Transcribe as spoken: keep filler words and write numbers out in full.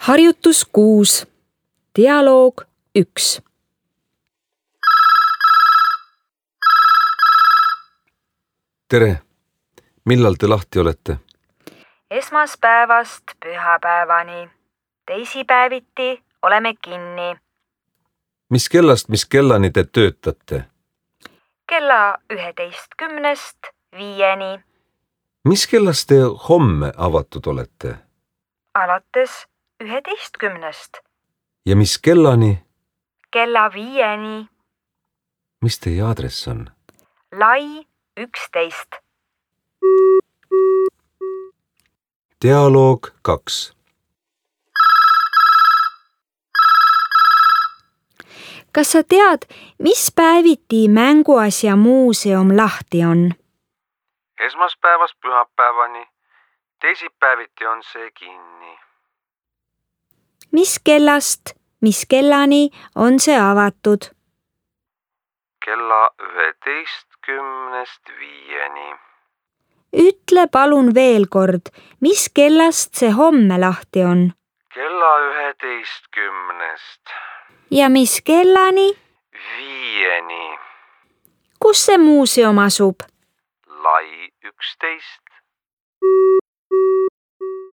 Harjutus kuus. Dialoog üks. Tere! Millal te lahti olete? Esmaspäevast pühapäevani. Teisipäeviti oleme kinni. Mis kellast, mis kellani te töötate? Kella üheteistkümnest viieni. Mis kellast te homme avatud olete? Alates üheteistkümnest. Ja mis kellani? Kella viieni. Mis teie aadress on? Lai üksteist. Dialoog kaks. Kas sa tead, mis päeviti mänguasja muuseum lahti on? Esmaspäevast pühapäevani. Teisipäeviti on see kinni. Mis kellast, mis kellani on see avatud? Kella üheteistkümnest viieni. Ütle palun veel kord, mis kellast see homme lahti on? Kella üheteistkümnest Ja mis kellani? viieni. Kus see muuseum asub? Lai üksteist.